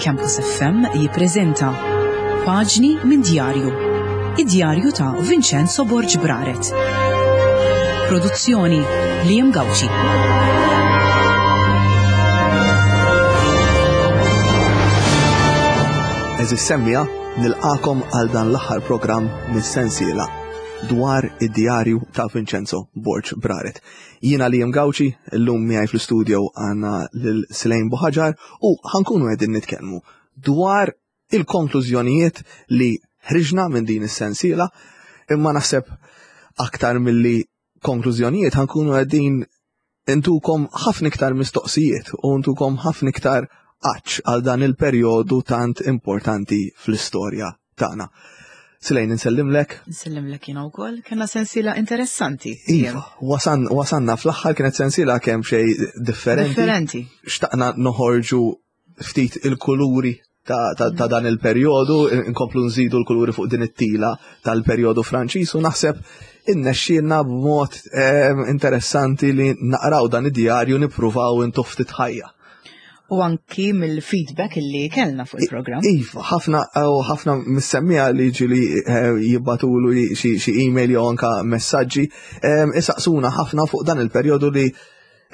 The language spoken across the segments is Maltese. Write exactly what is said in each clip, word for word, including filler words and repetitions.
Campus F M jippreżenta Paġni minn Djarju. Id-djarju ta' Vincenzo Borg Braret. Produzzjoni Liam Gauci. Għeżież semmiegħa, nilqagħkom għal dan l-aħħar programm mis-sensiela dwar id-djarju ta' Vincenzo Borg Braret. Jiena Liam Gauci, illum miegħi fl-studio għandna lil Silejn Buħaġar u ħa nkunu qegħdin nitkellmu dwar il-konklużjonijiet li ħriġna minn din is-sensiela, imma naħseb aktar milli konklużjonijiet ħa nkunu qegħdin intukom ħafna iktar mistoqsijiet u ntukom ħafna iktar għatx għal dan il-perjodu tant importanti fl-istorja tagħna. Silejn, insellimlek. Nsellimlek jiena wkoll, kellna sensiela interessanti. Iva, wasan, wasanna fl-aħħar, kienet sensiela kemm xejn differenti. Differenti. Xtaqna noħorġu ftit il-kuluri ta', ta, ta dan il-perjodu, nkomplu nżidu l-kuluri fuq din it-tila tal-perjodu Franċiż u naħseb innexxielna b'mod eh, interessanti li naqraw dan id-djarju, nippruvaw intuh ftit ħajja. U anki mill-feedback illi kellna fuq il-programm. Iva, ħafna u ħafna mis-semmiegħa li ġieli eh, jibagħtulu xi xi email jew anka messaġġi eh, isaqsuna ħafna fuq dan il-perjodu li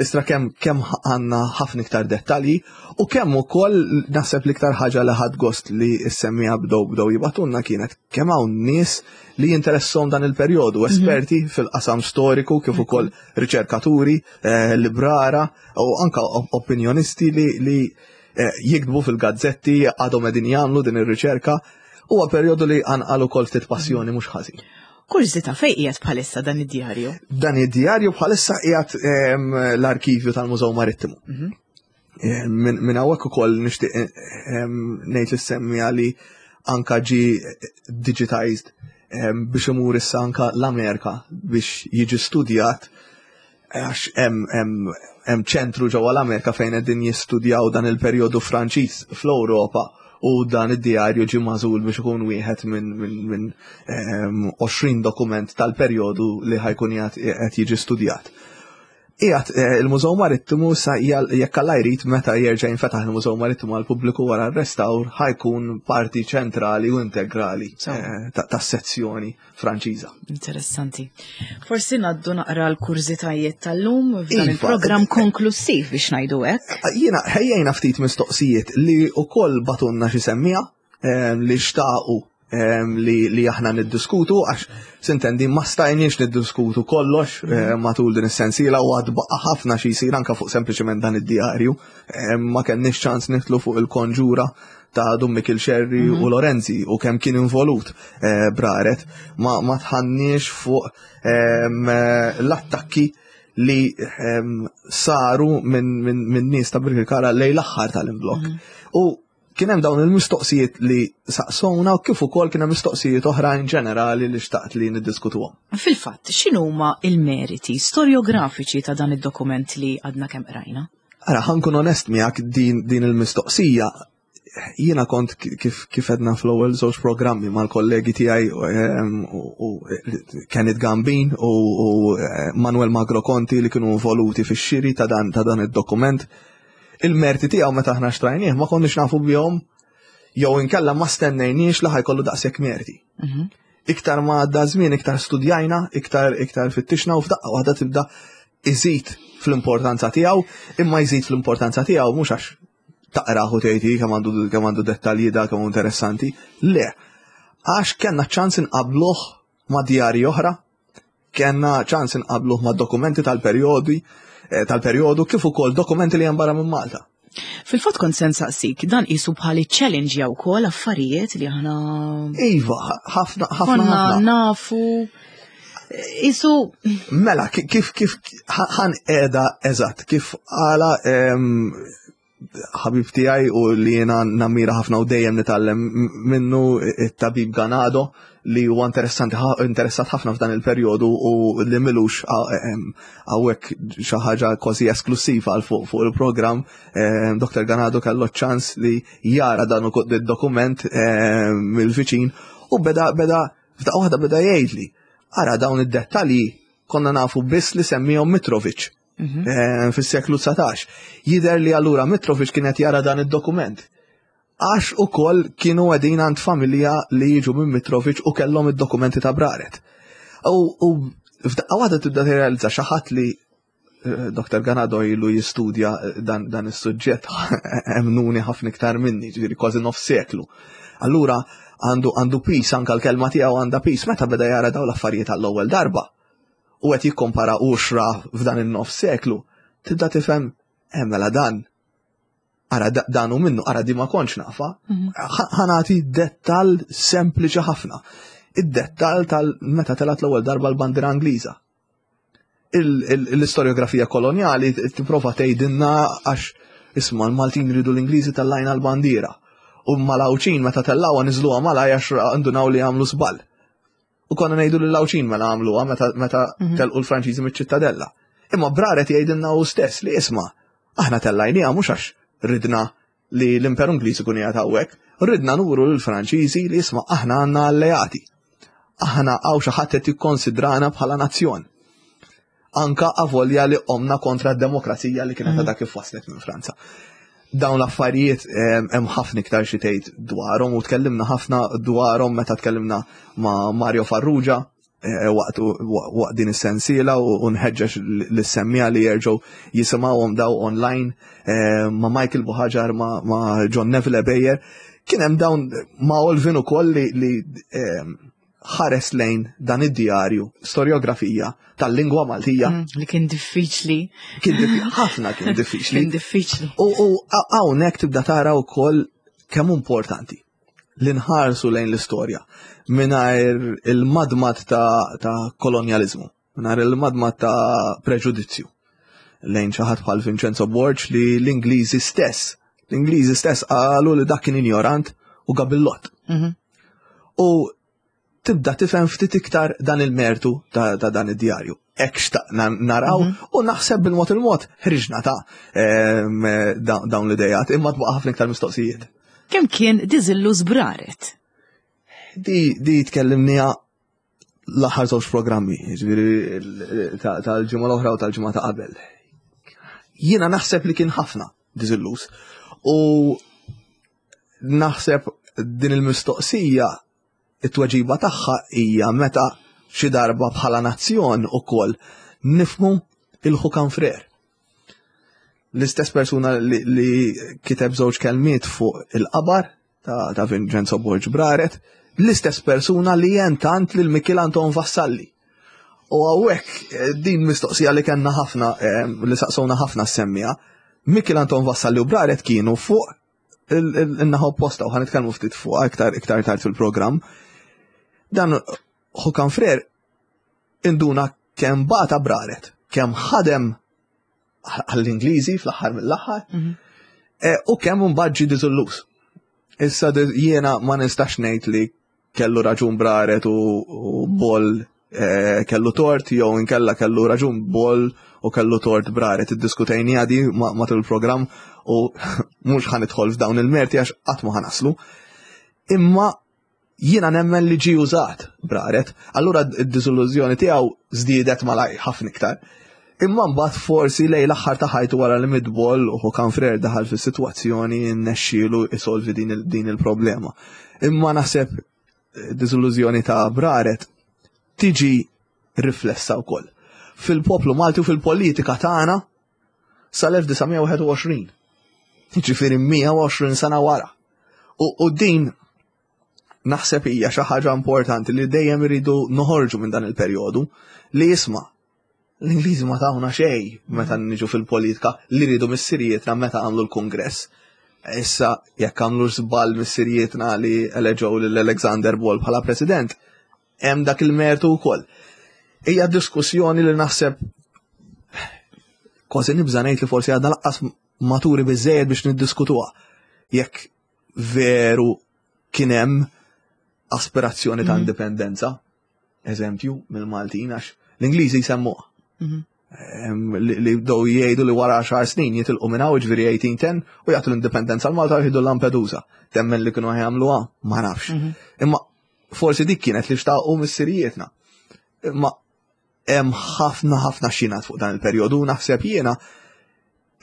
istra kemm kemm għandna ħafna iktar dettalji u kemm ukoll naħseb l-iktar ħaġa li ħadt gost li s-semmiegħa bdew bdew jibagħtulna kienet kemm hawn nies li jinteressahom dan il-perjodu, mhm. esperti fil-qasam storiku kif ukoll riċerkaturi, eh, librara u anka opinjonisti li, li eh, jiktbu fil-gazzetti, għadhom qegħdin jagħmlu din ir-riċerka. Huwa perjodu li qanqal ukoll ftit passjoni mhux ħażin. Kurżità, fejn qiegħed bħalissa dan id-djarju? Dan id-djarju bħalissa qiegħed l-arkivju tal-Mużew Marittimu. Mhm. Minn hawnhekk ukoll nixtieq ngħid lis-semmiegħa li anka ġi digitized biex imur issa anka l-Amerika biex jiġi studjat, għax hemm ċentru ġewwa l-Amerika fejn qegħdin jistudjaw dan il-perjodu Franċiż fl-Ewropa u dan id-djarju ġi magħżul biex ikun wieħed minn min, min, għoxrin dokument tal-perjodu li ħa jkun qed jiġi studjat. Qiegħed eh, il-Mużew Marittimu sa jekk Alla jrid meta jerġa' jinfetaħ il-Mużew Marittimu għall-pubbliku wara r-restawr, ħa jkun parti ċentrali u integrali eh, tas-sezzjoni Franċiża. Interessanti. Forsi ngħaddu naqra l-kurżitajiet tal-lum f'dan iva, il-programm konklusiv, biex ngħidu hekk. Jiena ħejjejna ftit mistoqsijiet li wkoll bagħtulna xi semmiegħa eh, li xtaqu li, li aħna niddiskutu, għax s'intendi ma stajniex niddiskutu kollox eh, matul din is-sensiela u għad baqa' ħafna xi jsir anka fuq sempliċement dan id-djarju. Ma kenniex ċans nidħlu fuq il-konġura ta' Dun Mikiel Xerri mm -hmm. u Lorenzi u kemm kien involut eh, Braret, ma, ma dħalniex fuq l-attakki li saru minn min, min nies ta' Birkirkara lejn l-aħħar tal-imblok. Mm -hmm. U kien hemm dawn il-mistoqsijiet li saqsowna u kif ukoll kien hemm mistoqsijiet oħrajn ġenerali li xtaqt li niddiskutuhom. Fil-fatt, x'inhuma il-meriti storiografiċi ta' dan id-dokument li għadna kemm qrajna? Ara, ħa nkun onest miegħek, din, din il-mistoqsija jiena kont kif kif għedna fl-ewwel żewġ programmi mal-kollegi tiegħi u Kenneth Gambin u Manuel Magro Conti li kienu involuti fix-xiri ta' dan ta' dan id-dokument. Il-merti tiegħu meta aħna xtrajnieh ma konniex nafu bihom jew inkella ma stennejniex li ħa jkollu daqshekk merti. Mhm. Iktar ma għadda żmien, iktar studjajna, iktar iktar fittixna u f'daqqa waħda tibda iżid fl-importanza tiegħu, imma jżid fl-importanza tiegħu mhux għax taqraħu tgħid kemm għandu kemm għandu dettalji da kemm interessanti. Le, għax kellna ċans inqabluh ma' djarji oħra, kellna ċans inqabluh ma' dokumenti tal-perjodi eh, tal-perjodu kif ukoll dokumenti li hemm barra minn Malta. Fil-fatt kont se nsaqsik, dan qisu bħali challenge jew ukoll affarijiet li aħna Iva, ħafna ħafna nafu. Isu. Mela, kif kif ħa ngħidha eżatt, kif għala ħabib tiegħi u li jiena nammira ħafna u dejjem nitgħallem minnu, it-tabib Ganado, li huwa interessanti interessat ħafna f'dan il-perjodu u li m'ilux hawnhekk, xi ħaġa kważi esklusiva għal fuq fuq il-programm. Doktor Ganado kellu ċans li jara dan id-dokument mill-viċin u beda beda f'daqqa waħda beda jgħidli: "Ara, dawn id-dettalji konna nafu biss li semmihom Mitrovic mhm. eh, fis-seklu dsatax. Jider li allura Mitrovic kienet jara dan id-dokument." Għax ukoll kienu qegħdin għand familja li jiġu minn Mitrovic u kellhom id-dokumenti ta' Braret. U f'daqqa waħda tibda tirrealizza xi ħadd li eh, Doktor Ganado ilu jistudja eh, dan, dan is-suġġett emnuni ħafna iktar minni, ġifieri kważi nofs seklu. Allura għandu għandu pis, anka l-kelma tiegħu għandha pis, meta beda jara dawn l-affarijiet għall-ewwel darba u qed jikkompara uxra f'dan in-nofs seklu, tibda tifhem hemm mela dan ara dan u minnu, ara di ma kontx nafa, mhm. ħa nagħti dettal sempliċi ħafna. Id-dettal tal-meta telat l-ewwel darba l-bandiera Ingliża. L-istoriografija koloniali tipprova tgħidilna għax isma' l-Maltin ridu l-Ingliżi tellajna l-bandiera. U mal-Għawdxin meta tellawha niżluha malaj għax ndunaw li għamlu żball. U konna ngħidu lill-Għawdxin mela għamluha meta meta mhm. telqu l-Franċiżi miċ-Ċittadella. Imma Braret jgħidilna hu stess li isma' aħna tellajniha mhux għax ridna li l-Imperu Ingliż ikun qiegħed hawnhekk, ridna nuru lill-Franċiżi li isma' aħna għandna alleati. Aħna hawn xi ħadd qed jikkonsidrana bħala nazzjon. Anka avolja li qomna kontra d-demokrazija li kienet għadha kif waslet minn Franza. Dawn l-affarijiet hemm ħafna iktar xi tgħid dwarhom u tkellimna ħafna dwarhom meta tkellimna ma' Mario Farrugia eh, waqt waqt din is-sensiela u nħeġġeġ lis-semmiegħa li jerġgħu jisimgħuhom daw online eh, ma' Michael Buhagiar, ma' John Neville Ebejer. Kien hemm dawn ma' Olvin ukoll li, li ħares lejn dan id-djarju, storiografija tal-lingwa Maltija. Mm, li kien diffiċli. Kien ħafna kien diffiċli. Kien diffiċli. U hawnhekk tibda tara wkoll kemm importanti li nħarsu lejn l-istorja mingħajr il-madmad ta', ta kolonjalizmu, mingħajr il-madmad ta' preġudizzju lejn xi ħadd bħal Vincenzo Borg li l-Ingliżi stess, l-Ingliżi stess qalu li dak kien ignorant u gabillot. Mm -hmm. U tibda tifhem ftit iktar dan il-mertu ta', ta dan id-djarju. Hekk xtaqna naraw mm -hmm. u naħseb bil-mod il-mod ħriġna ta' dawn l-idejat, imma tbaqa' ħafna iktar mistoqsijiet. Kemm kien diżilluż Braret? Di, di tkellimniha l-aħħar żewġ programmi, ġifieri tal-ġimgħa l-oħra u tal-ġimgħa ta' qabel. Jiena naħseb li kien ħafna diżilluż. U naħseb din il-mistoqsija it-tweġiba tagħha hija meta xi darba bħala nazzjon ukoll nifmu il-Ħukan Frer. L-istess persuna li, li kiteb żewġ kelmiet fuq il-qabar ta', ta' Vincenzo Borg Braret, l-istess persuna li jentant lil Mikiel Anton Vassalli. U hawnhekk din mistoqsija li kellna ħafna, li saqsowna ħafna semmija, Mikiel Anton Vassalli u Braret kienu fuq il-naħa opposta u ħa nitkellmu ftit fuq iktar iktar tard fil-programm. Dan Ħukan Frer induna kemm bata Braret, kemm ħadem għall-Ingliżi fl-aħħar mill-aħħar, mhm. e, u kemm mbagħad ġie diżilluż. Issa jiena ma nistax ngħid li kellu raġun Braret u Boll e, kellu tort jew inkella kellu raġun Boll u kellu tort Braret. Iddiskutejni għadi matul il-programm u mhux ħa nidħol f'dawn il-merti għax qatt ma ħa naslu. Imma jiena nemmen li ġie użat Braret, allura d-diżillużjoni tiegħu żdiedet malaj ħafna iktar. Imma mbagħad forsi lejn l-aħħar ta' ħajtu wara li miet Boll u Ħukan Frer daħal fis-sitwazzjoni nnexxielu isolvi din il-problema. Imma naħseb diżillużjoni ta' Braret tiġi riflessa wkoll fil-poplu Malti u fil-politika tagħna sal-elf disa' mija wieħed u għoxrin. Jiġifieri mija u għoxrin sena wara. U, u din naħseb hija xi ħaġa importanti li dejjem iridu noħorġu minn dan il-perjodu li jisma' l-Ingliżi ma tawna xejn meta niġu fil-politika li rridu missirijietna meta għamlu l-Kungress. Issa jekk għamlu żball missirijietna li eleġew lil Alexander Ball bħala president, hemm dak il-mertu wkoll. Hija diskussjoni li naħseb kważi nibża' ngħid li forsi għadna laqqas maturi biżejjed biex niddiskutuha. Jekk veru kien hemm aspirazzjoni ta' Mhm. indipendenza, eżempju, mill-Maltin, għax l-Ingliżi jsemmuha. Mhm. Em, li, li bdew jgħidu li wara għaxar snin jitilqu minn hawn, ġifieri eighteen ten, u jagħtu l-indipendenza l-Malta u jieħdu Lampedusa. Temmen li kienu jagħmluha, ma nafx. Mhm. Imma forsi dik kienet li xtaqu missirijietna. Imma hemm ħafna ħafna xinat fuq dan il-perjodu, naħseb jiena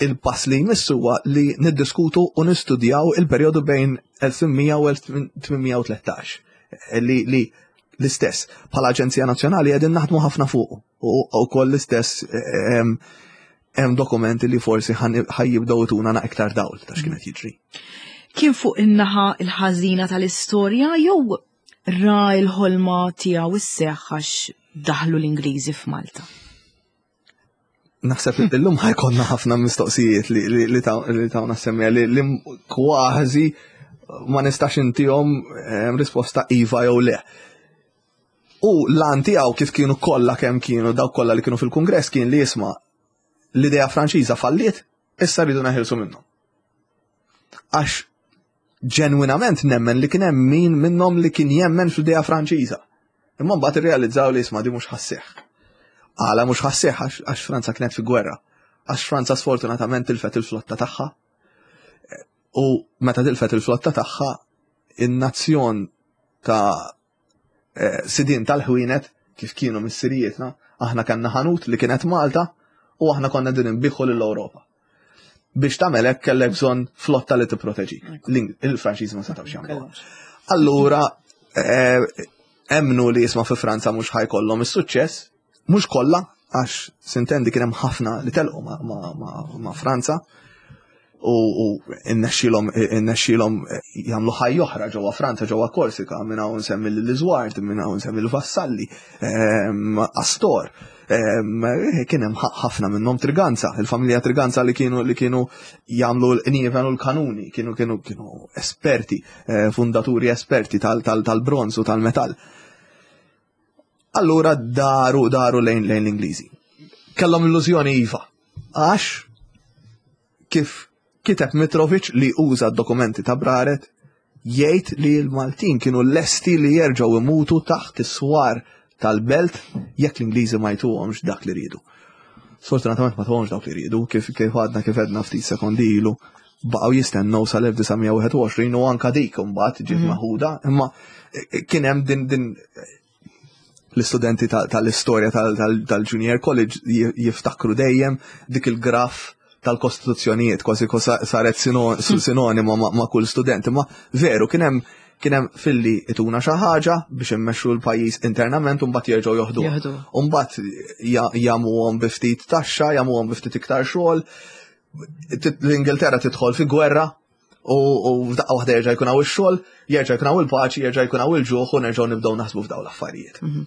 Il-pass li jmiss huwa li niddiskutu u nistudjaw il-perjodu bejn elf u tmien mija u elf tmien mija u tlettax. Li, li l-istess, bħala Aġenzija Nazzjonali qegħdin naħdmu ħafna fuq u wkoll l-istess hemm dokumenti li forsi ħa jibdew jtuna iktar dawl ta' x'kienet jiġri. Kien fuq in-naħa il-ħażina tal-istorja jew ra l-ħolma tiegħu isseħħ għax daħlu l-Ingliżi f'Malta? Naħseb illum ħa jkollna ħafna mistoqsijiet li li tawna semmija li li kważi ma nistax intihom risposta iva jew le. U l-għan tiegħu, kif kienu kollha kemm kienu dawk kollha li kienu fil-Kungress, kien li jisma' l-idea Franċiża falliet, issa rridu neħilsu minnhom. Għax ġenwinament nemmen li kien hemm min minnhom li kien jemmen fl-idea Franċiża. Imma mbagħad irrealizzaw li isma' di mhux ħa sseħħ. Għala mhux ħa sseħħ? Għax Franza kienet fi gwerra. Għax Franza sfortunatament tilfet il-flotta tagħha. U meta tilfet il-flotta tagħha, in-nazzjon ta' eh, sidin tal-ħwienet kif kienu missirijietna, aħna kellna ħanut li kienet Malta u aħna konna din inbiħu lill-Ewropa. Biex tagħmel hekk kellek bżonn flotta li tipproteġi. Il-Franċiżi ma setgħux jagħmlu. Allura eh, emnu li jisma' fi Franza mhux ħa jkollhom is-suċċess, mhux kollha, għax sintendi kien hemm ħafna li telqu ma' Franza u innexxilhom innexxilhom jagħmlu ħajja oħra ġewwa Franza, ġewwa Korsika, minn hawn nsemmi l-Iżward, minn hawn nsemmi l-Vassalli, ehm, Astor. Ehm, kien hemm ħafna minnhom, Triganza, il-familja Triganza li kienu li kienu jagħmlu l-qnieven u l-kanuni, kienu kienu kienu esperti, eh, fundaturi esperti tal-bronz u tal-metall. Allura daru daru lejn lejn l-Ingliżi. Kellhom illużjoni, iva. Għax kif kiteb Mitrovic, li uża d-dokumenti ta' Braret, jgħid li l-Maltin kienu lesti li jerġgħu imutu taħt is-swar tal-belt jekk l-Ingliżi ma jtuhomx dak li ridu. Sfortunatament ma tuhomx dak li ridu, kif kif għadna kif għedna ftit sekondi ilu, baqgħu jistennew sal-elf disa' mija u wieħed u għoxrin u anka dik imbagħad ġiet mhm. meħuda, imma kien hemm din din l-istudenti tal-istorja tal-Junior College jiftakru dejjem dik il-graf tal-kostituzzjonijiet, kważi saret sinonima ma' kull student. Ma veru, kien hemm kien hemm filli ituna xi ħaġa biex immexxu l-pajjiż internament u mbagħad jerġgħu joħdu. U mbagħad jagħmuhom bi ftit taxxa, jagħmuhom bi ftit iktar xogħol. L-Ingilterra tidħol fi gwerra u f'daqqa waħda jerġa' jkun hawn ix-xogħol, jerġa' jkun hawn il-paċi, jerġa' jkun hawn il-ġuħ u nerġgħu nibdew naħsbu f'dawn l-affarijiet. Mhm.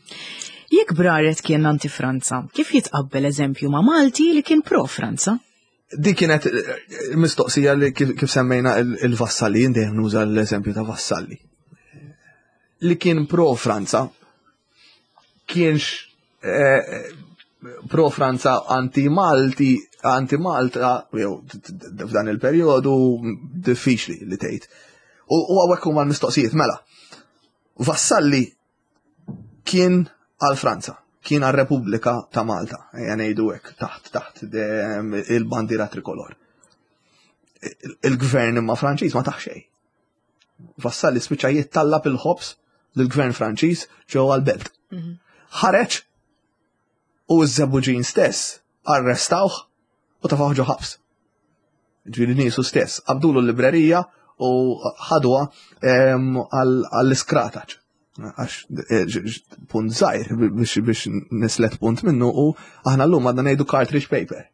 Jekk Braret kien anti-Franza, kif jitqabbel eżempju ma' Malti li kien pro-Franza? Di kienet eh, mistoqsija li kif semmejna il-Vassalli, dejjem nuża l-eżempju ta' Vassalli. Li kien pro-Franza, kienx eh, pro-Franza anti-Malti, anti-Malta, jew f'dan il-perjodu diffiċli li tgħid. U hawnhekk huma l-mistoqsijiet mela. Vassalli kien għal Franza, kien għal Repubblika ta' Malta, ejja ngħidu hekk, taħt taħt il-bandiera trikolor. Il-gvern imma Franċiż ma tah xejn. Vassalli spiċċa jittallab il-ħobż lill-gvern Franċiż ġewwa l-belt. Mhm. Ħareġ u ż-Żebbuġin stess arrestawh u tefgħuh ġo ħabs. Ġifieri niesu stess, qabdulu l-librerija u ħadwa għall-iskrataċ. Għax eh, punt żgħir biex biex nislet punt minnu u aħna llum għadna ngħidu cartridge paper.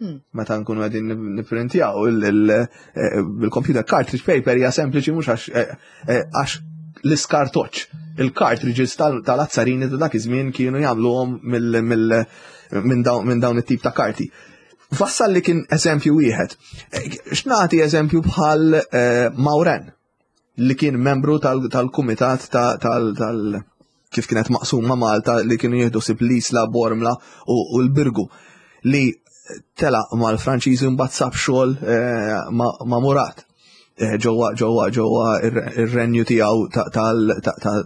Hmm. Meta nkunu qegħdin nipprintjaw eh, bil-computer, cartridge paper hija sempliċi mhux għax eh, għax l-iskartoċ. Il-cartridges tal-azzarini ta' dak iż-żmien kienu jagħmluhom minn dawn it-tip ta' karti. Vassalli kien eżempju wieħed. X'nagħti eżempju bħal Maurin, li kien membru tal-kumitat tal kif kienet maqsuma Malta, li kienu jieħdu ħsieb l-Isla, Bormla u l-Birgu, li tela mal-Franċiżi, mbagħad sab xogħol eh, ma' Murat eh, ġewwa ġewwa ġewwa ir-renju tiegħu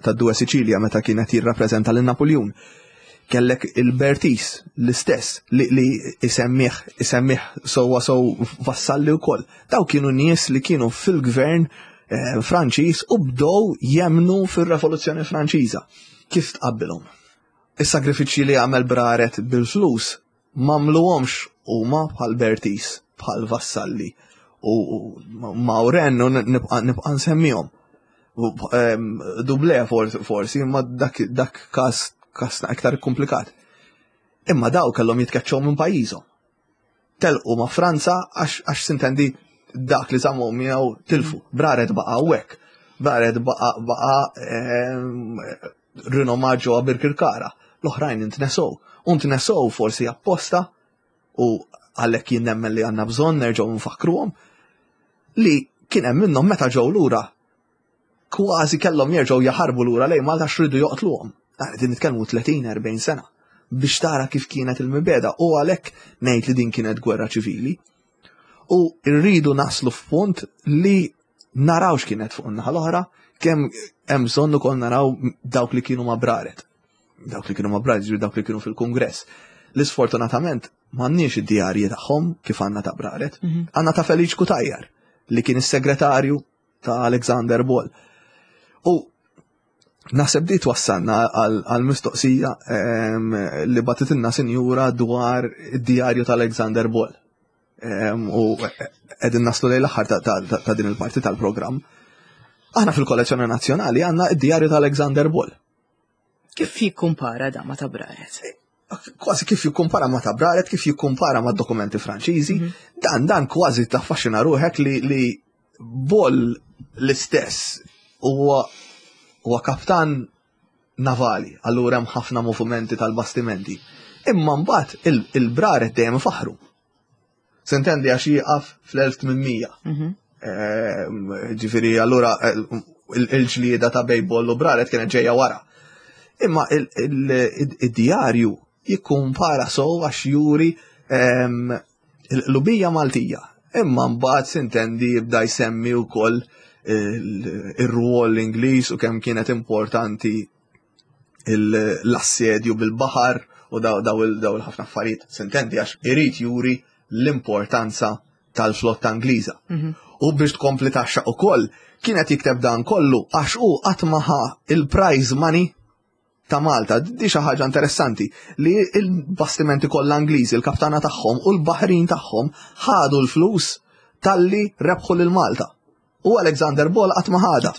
tad-Due Sicilia meta kienet jirrappreżenta lil Napoleon. Kellek il-Bertis l-istess li, li isemmih isemmih sewwa sew Vassalli wkoll. Daw kienu nies li kienu fil-gvern eh, Franċiż u bdew jemnu fir-Revoluzzjoni Franċiża. Kif tqabbilhom? Is-sagrifiċċji li għamel Braret bil-flus m'għamluhomx huma bħal Bertis. bħal Vassalli u Maurin u nibqa' nsemmihom. Dublé forsi, imma dak, dak kas, kas iktar komplikat. Imma daw kellhom jitkeċċew minn pajjiżhom. Telqu ma' Franza għax sintendi dak li żammu miegħu tilfu. Braret baqa' hawnhekk. Braret baqa' baqa' rinomat ġewwa Birkirkara. L-oħrajn intnesow. U ntnesow forsi apposta u għalhekk jien nemmen li għandna bżonn nerġgħu nfakruhom li kien hemm minnhom meta ġew lura kważi kellhom jerġgħu jaħarbu lura lejn Malta x'ridu joqtluhom. Qegħdin nitkellmu tletin erbgħin sena biex tara kif kienet il-mibeda u għalhekk ngħid li din kienet gwerra ċivili. U rridu naslu f'punt li naraw x'kienet fuq in-naħa l-oħra, kemm hemm bżonn ukoll naraw dawk li kienu ma' Braret. Dawk li kienu ma' Braret, ġifieri dawk li kienu fil-Kungress. Li sfortunatament m'għandniex id-djarji tagħhom kif għandna ta' Braret. Għandna ta' Feliċ Cutajar li kien is-segretarju ta' Alexander Ball. U naħseb di twassalna għal mistoqsija li bagħtitilna sinjura dwar id-djarju ta' Alexander Ball. U qegħdin naslu lejn l-aħħar ta' din il-parti tal-programm. Aħna fil-kollezzjoni nazzjonali għandna id-djarju ta' Alexander Ball. Kif jikkumpara da ma ta' Braret? Kważi kif jikkumpara ma ta' Braret, kif jikkumpara ma' dokumenti Franċiżi, dan dan kważi taffaxxina ruħek li, li Ball l-istess huwa huwa kaptan navali, allura hemm ħafna movimenti tal-bastimenti. Imma mbagħad il-Braret dejjem faħru. Sintendi għax jieqaf fl-elf tmien mija. Ġifieri allura il-ġlieda ta' bejn Ball u Braret kienet ġejja wara. Imma il-djarju jikkumpara sow għax juri l-lubija Maltija. Imma mbagħad sintendi jibda jsemmi wkoll ir-rwol Ingliż u kemm kienet importanti l-assedju bil-baħar u daw il-ħafna affarijiet. Sintendi għax irid juri l-importanza tal-flotta Ingliża. U biex tkompli taxxa ukoll kienet jikteb dan kollu għax hu qatt ma ħa il-prize money ta' Malta. Di xi ħaġa interessanti li il-bastimenti kollha Ingliżi, il-kaptana tagħhom u l-baħrin tagħhom ħadu l-flus talli rebħu lil Malta. U Alexander Ball qatt ma ħadha.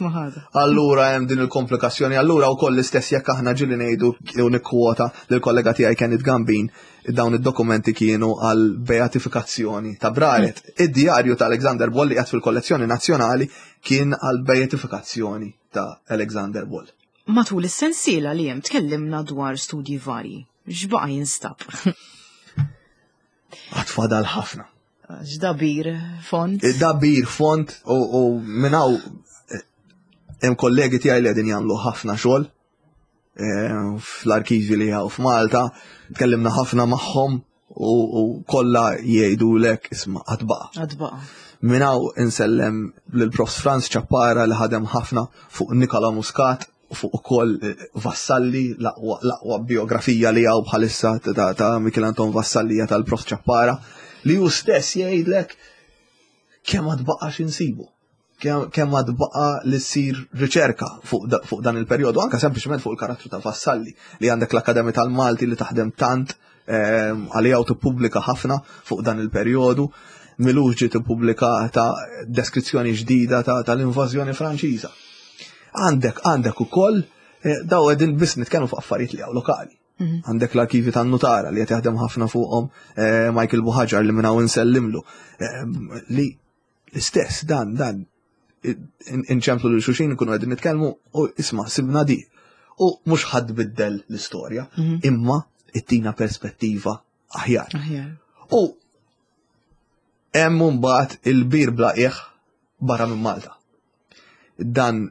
Allura hemm din il-komplikazzjoni, allura wkoll l-istess jekk aħna ġieli ngħidu u nikkwota lill kollega tiegħi Kenneth Gambin, dawn id-dokumenti kienu għal beatifikazzjoni ta' Braret. Id-djarju ta' Alexander Ball li qiegħed fil-kollezzjoni nazzjonali kien għal beatifikazzjoni ta' Alexander Ball. Matul is-sensiela li hemm tkellimna dwar studji varji. X'baqa' jinstab? Għad fadal ħafna. X'dabir font? Dabir font u minn hawn hemm kollegi tiegħi li qegħdin jagħmlu ħafna xogħol fl-arkivi li hawn f'Malta, tkellimna ħafna magħhom u kollha jgħidulek isma' għad baqa'. Għad baqa'. Minn hawn insellem lil Profs Franz Ciappara li ħadem ħafna fuq Nikola Muscat u fuq ukoll Vassalli, l-aqwa biografija li hawn bħalissa ta' ta' Michel Anton Vassalli tal-Prof Ciappara, li hu stess jgħidlek kemm għad baqa' x'insibu. Kemm għad baqa' li ssir riċerka fuq dan il-perjodu, anka sempliċement fuq il-karattru ta' Vassalli, li għandek l-Akkademja tal-Malti li taħdem tant għalija u tippubblika ħafna fuq dan il-perjodu. M'ilux ġiet ippubblikata deskrizzjoni ġdida tal-invażjoni Franċiża. Għandek, għandek ukoll daw qegħdin biss nitkellmu fuq affarijiet li hawn lokali. Għandek l-arkivi tan-nutara li qed jaħdem ħafna fuqhom Michael Buhagiar li minn hawn insellimlu. Li l-istess dan dan inċemplu lil xulxin nkunu qegħdin nitkellmu u isma' sibna di. U mhux ħadd biddel l-istorja, imma ittina perspettiva aħjar. U hemm mbagħad il-bir bla qiegħ barra minn Malta. Dan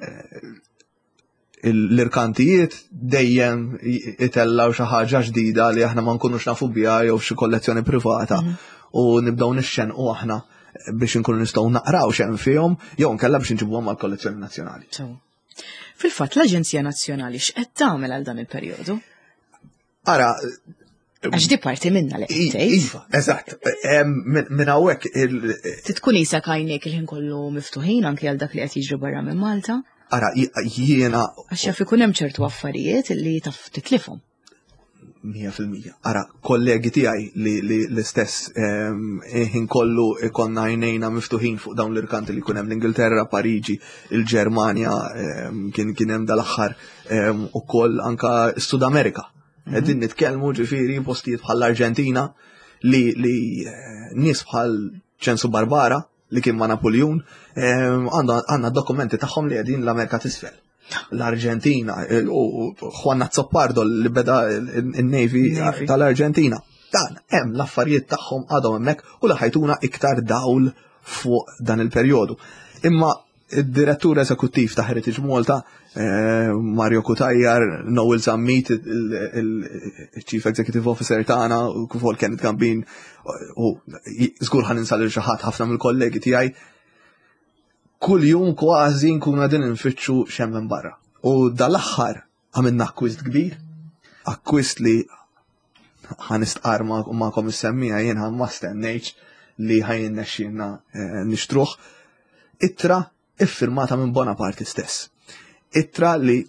l-irkantijiet dejjem itellaw xi ħaġa ġdida li aħna ma nkunux nafu biha jew xi kollezzjoni privata u nibdew nixxenqu aħna biex nkunu nistgħu naqraw x'hemm fihom jew nkella biex nġibuhom għall-kollezzjoni nazzjonali. Fil-fatt l-Aġenzija Nazzjonali x'qed tagħmel għal dan il-perjodu? Ara, Għax di parti minna li qed tgħid. Iva, eżatt. Minn hawnhekk il- Titkun isa għajnejk il-ħin kollu miftuħin anke għal dak li qed jiġri barra minn Malta. Ara, jiena Għax jaf ikun hemm ċertu affarijiet li taf titlifhom. Mija fil-mija. Ara, kollegi tiegħi li, li l-istess ehm, ħin kollu ikonna għajnejna miftuħin fuq dawn l-irkanti li kunem l-Ingilterra, Pariġi, il-Ġermanja, ehm, kien kien hemm dal-aħħar ehm, ukoll anka s-Sud Amerika. Qegħdin nitkellmu ġifieri postijiet bħall-Arġentina li, li eh, nies bħal Ċensu Barbara li kien ma' Napoleon, għandna għandna dokumenti tagħhom li qegħdin l-Amerika t'isfel. L-Arġentina, u Juan Azopardo li beda il-Navy Navy. tal-Arġentina. Dan hemm l-affarijiet tagħhom għadhom hemmhekk u li ħa jtuna iktar dawl fuq dan il-perjodu. Imma id-direttur eżekuttiv ta' Heritage Malta, eh, Mario Cutajar, Noel Zammit, il-Chief Executive Officer tagħna, u kif ukoll Kenneth Gambin, u żgur ħa ninsa lil xi ħadd, ħafna mill-kollegi tiegħi, kull jum kważi nkunu qegħdin nfittxu x'hemm minn barra. U dal-aħħar għamilna akkwist kbir, akkwist li ħa nistqarr magħkom is-semmiegħa, jien ma stennejtx li ħa jirnexxilna eh, nixtruh. Ittra iffirmata minn Bonaparte stess. Ittra li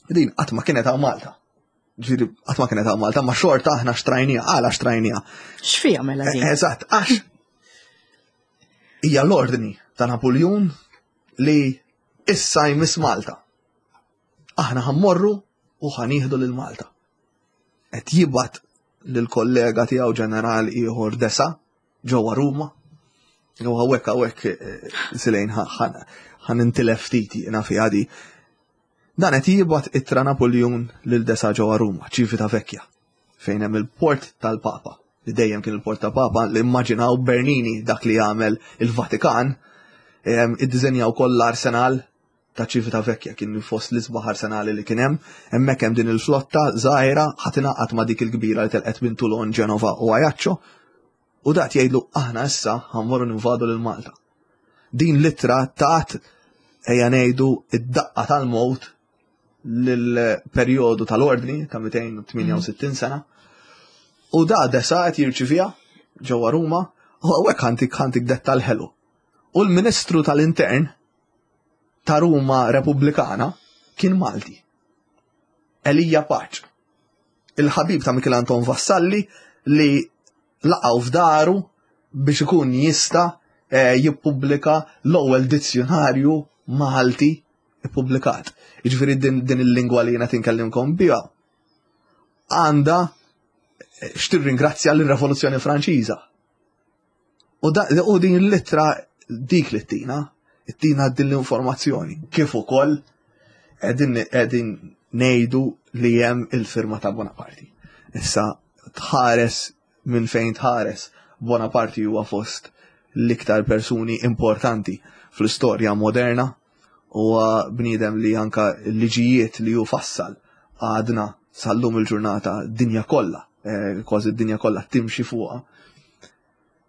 din qatt ma kienet hawn Malta. Ġifieri qatt ma kienet hawn Malta, ma xorta aħna xtrajnija, għala xtrajnija. X'fiha mela din? Eżatt, għax hija l-ordni ta' Napoleon li issa jmiss Malta. Aħna ħa mmorru u ħa nieħdu lil Malta. Qed jibgħat lill-kollega tiegħu ġenerali ieħor Desaix ġewwa Ruma. U hawnhekk hawnhekk eh, silejn ħa nintilef ftit jiena fi di. Dan qed jibgħat ittra Napoleon lil Desaix ġewwa Ruma, Ċivitavecchia, fejn hemm il-port tal-Papa, li dejjem kien il-port tal-Papa, li immaġinaw Bernini dak li jagħmel il-Vatikan, iddiżenjaw koll l-arsenal ta' Ċivitavecchia, kien fost l-isbaħ arsenali li kien hemm, hemmhekk hemm din il-flotta żgħira ħa tingħaqad ma' dik il-kbira li telqet minn Toulon, Genova u Ajaccio, u dat jgħidlu aħna issa ħa mmorru ninvadu lil Malta. Din l-ittra tat, ejja ngħidu, id-daqqa tal-mowt lill-perjodu tal-ordni ta' mitejn u tmienja u sittin sena. U da Desaix qed jirċiviha ġewwa Ruma u hawnhekk ħa ntik ħa ntik dettal ħelu. U l-Ministru tal-Intern ta' Ruma Repubblikana kien Malti. Elija Pace. Il-ħabib ta' Michel Anton Vassalli li laqgħu f'daru biex ikun jista' eh, jippubblika l-ewwel dizzjonarju Malti ippubblikat. Jiġifieri din, din il-lingwa li jiena tinkellimkom biha għandha eh, x'tirringrazzja l-Rivoluzzjoni Franċiża. U, da, u din l-ittra dik li ttina, ttina din l-informazzjoni. Kif ukoll qegħdin qegħdin ngħidu li hemm il-firma ta' Bonaparte. Issa tħares minn fejn tħares, Bonaparte huwa fost l-iktar persuni importanti fl-istorja moderna, huwa bniedem li anka liġijiet li hu fassal għadna sal-lum il-ġurnata dinja kollha, eh, kważi d-dinja kollha timxi fuqha.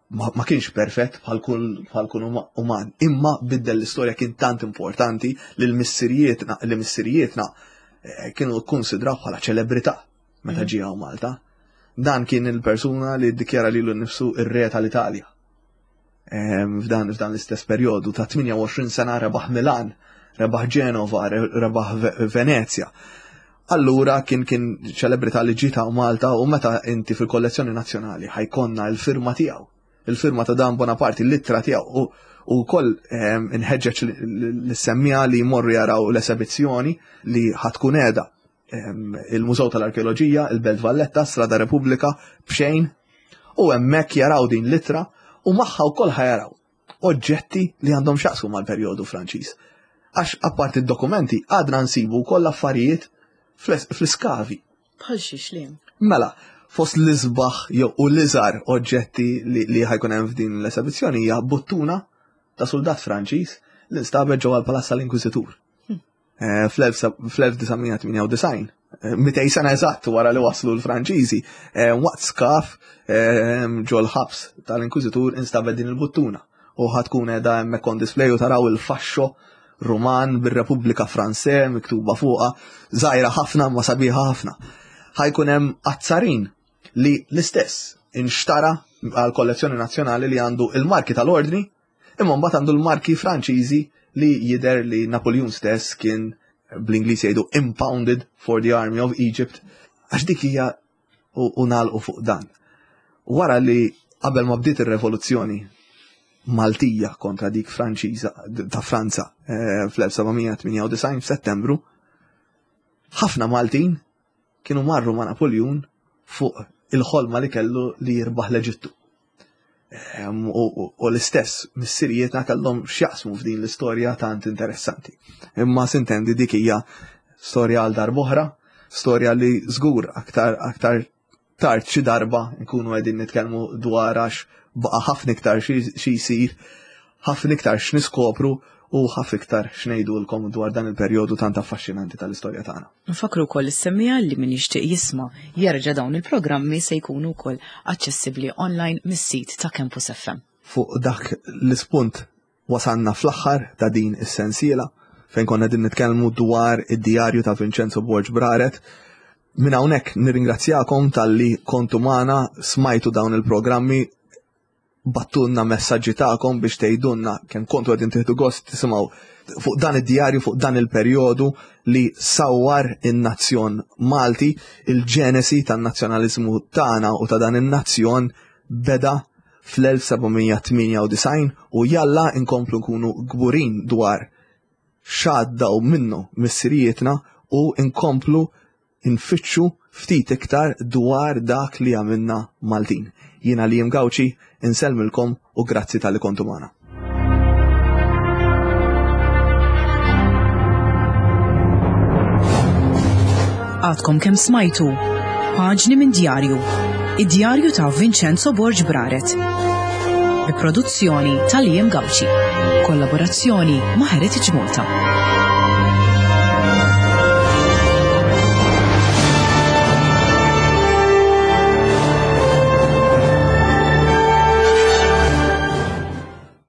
Ma, ma kienx perfett bħal kull bħal kull uman, imma biddel l-istorja, kien tant importanti li l-missirijietna li missirijietna eh, kienu kkonsidraw bħala ċelebrità meta mm. ġie Malta. Dan kien il-persuna li ddikjara lilu nnifsu ir-re tal-Italja. F'dan f'dan l-istess perjodu ta' tmienja u għoxrin sena rebaħ Milan, rebaħ Ġenova, rebaħ Venezia. Allura kien kien ċelebrità li ġiet Malta u meta inti fil-kollezzjoni nazzjonali ħa jkollna l-firma tiegħu, il-firma ta' dan Bonaparte, l-ittra tiegħu, u koll inħeġġeġ lis-semmiegħa li jmorru jaraw l-esebizzjoni li ħa tkun qiegħda il-Mużew tal-Arkeoloġija, il-Belt Valletta, Strada Repubblika, b'xejn, u hemmhekk jaraw din l-ittra u magħha wkoll ħa jaraw oġġetti li għandhom x'jaqsmu mal-perjodu Franċiż. Għax apart id-dokumenti għadna nsibu wkoll affarijiet fl-iskavi. Bħal xiex li? Mela, fost l-isbaħ jew u l-iżgħar oġġetti li, li ħa jkun hemm f'din l-esebizzjoni hija buttuna ta' soldat Franċiż li nstabet ġewwa l-Palazz tal-Inkwiżitur. Hmm. Eh, fl-elf disa' mija tmienja u disgħin, mitejn sena eżatt wara li waslu l-Franċiżi, eh, waqt skav eh, ġol-ħabs tal-Inkwiżitur instabet din il-buttuna u ħa tkun qiegħda hemmhekk on display u taraw il-fascio Ruman bir-Repubblika Franse miktuba fuqha, żgħira ħafna ma sabiħa ħafna. Ħa jkun hemm azzarin li l-istess inxtara għal kollezzjoni nazzjonali li għandu il-marki tal-ordni, imma mbagħad għandu l-marki Franċiżi li jider li Napoleon stess kien, bl-Ingliż jgħidu, impounded for the army of Egypt. Għax dik hija u nagħlqu fuq dan. Wara li qabel ma bdiet ir-revoluzzjoni Maltija kontra dik Franċiża ta' Franza eh, fl-elf seba' mija tmienja u disgħin f'Settembru, ħafna Maltin kienu marru ma' Napoleon fuq il-ħolma li kellu li jirbaħ l-Eġittu. U l-istess missirijietna kellhom x'jaqsmu f'din l-istorja tant interessanti. Imma sintendi dik hija storja għal darb'oħra, storja li żgur aktar aktar tard xi darba nkunu qegħdin nitkellmu dwar, għax baqa' ħafna iktar xi jsir, ħafna iktar x'niskopru u ħafna iktar x'ngħidulkom dwar dan il-perjodu tant affaxxinanti tal-istorja tagħna. Nfakru wkoll is-semmiegħa li min jixtieq jisma' jerġa' dawn il-programmi se jkunu wkoll aċċessibbli online mis-sit ta' Campus F M. Fuq dak l-ispunt wasanna fl-aħħar ta' din is-sensiela fejn konna din nitkellmu dwar id-djarju ta' Vincenzo Borg Braret. Minn hawnhekk nirringrazzjakom talli kontu magħna, smajtu dawn il-programmi, bgħattulna messaġġi tagħkom biex tgħidulna kemm kontu qegħdin tieħdu gost tisimgħu fuq dan id-djarju, fuq dan il-perjodu li sawwar in-nazzjon Malti. Il-ġenesi tan-nazzjonaliżmu tagħna u ta' dan in-nazzjon beda fl-elf seba' mija tmienja u disgħin u jalla inkomplu nkunu kburin dwar x'għaddew minnu missirijietna u nkomplu nfittxu ftit iktar dwar dak li għamilna Maltin. Jiena li Gawċi insellmilkom u grazzi talli kontu magħna. Għadkom kemm smajtu Paġni minn Djarju, id-djarju ta' Vincenzo Borg Braret. Bi produzzjoni ta' Liam Gauci. Kollaborazzjoni ma' Heritage Malta.